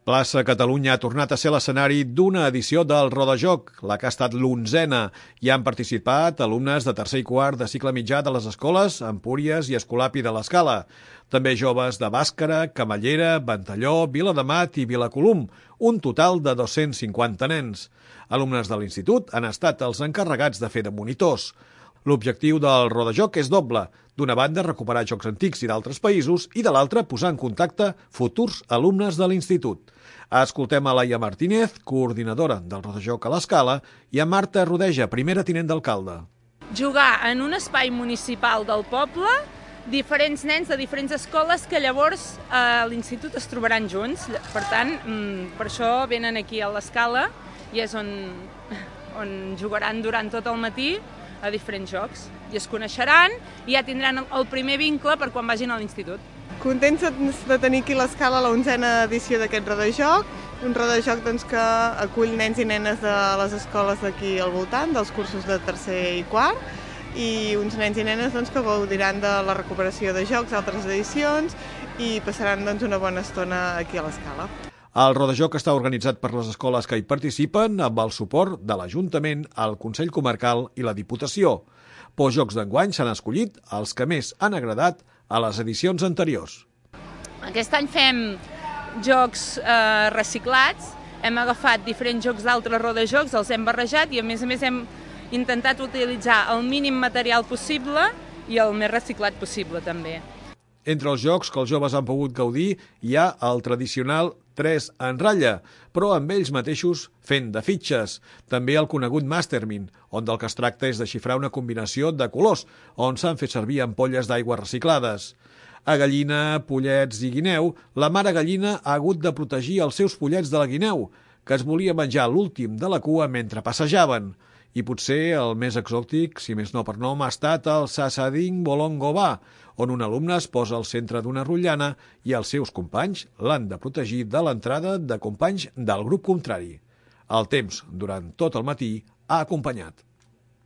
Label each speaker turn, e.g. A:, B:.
A: Plaça Catalunya ha tornat a ser l'escenari d'una edició del Rodajoc, la que ha estat l'11a. Hi han participat alumnes de tercer i quart de cicle mitjà de les escoles Empúries i Escolapi de l'Escala. També joves de Bàscara, Camallera, Ventalló, Viladamat i Vilacolum, un total de 250 nens. Alumnes de l'institut han estat els encarregats de fer de monitors. L'objectiu del Rodajoc és doble. D'una banda, recuperar jocs antics i d'altres països i de l'altra, posar en contacte futurs alumnes de l'institut. Escoltem a Laia Martínez, coordinadora del Rodajoc a l'Escala, i a Marta Rodeja, primera tinent d'alcalde.
B: Jugar en un espai municipal del poble, diferents nens de diferents escoles que llavors a l'institut es trobaran junts. Per tant, per això venen aquí a l'Escala i és on jugaran durant tot el matí a diferents jocs. I es coneixeran i ja tindran el primer vincle per quan vagin a l'institut.
C: Contents de tenir aquí a l'Escala la 11a edició d'aquest Rodajoc, un Rodajoc que acull nens i nenes de les escoles d'aquí al voltant, dels cursos de tercer i quart, i uns nens i nenes que gaudiran de la recuperació de jocs d'altres edicions i passaran una bona estona aquí a l'Escala.
A: El Rodajoc està organitzat per les escoles que hi participen amb el suport de l'Ajuntament, el Consell Comarcal i la Diputació. Pels Jocs d'enguany s'han escollit els que més han agradat a les edicions anteriors.
B: Aquest any fem jocs reciclats, hem agafat diferents jocs d'altres rodajocs, els hem barrejat i a més hem intentat utilitzar el mínim material possible i el més reciclat possible també.
A: Entre els jocs que els joves han pogut gaudir hi ha el tradicional 3 en ratlla, però amb ells mateixos fent de fitxes. També el conegut Mastermind, on del que es tracta és de xifrar una combinació de colors, on s'han fet servir ampolles d'aigua reciclades. A gallina, pollets i guineu, la mare gallina ha hagut de protegir els seus pollets de la guineu, que es volia menjar l'últim de la cua mentre passejaven. I potser el més exòtic, si més no per nom, ha estat el Sasading Bolongobà, on un alumne es posa al centre d'una rotllana i els seus companys l'han de protegir de l'entrada de companys del grup contrari. El temps, durant tot el matí, ha acompanyat.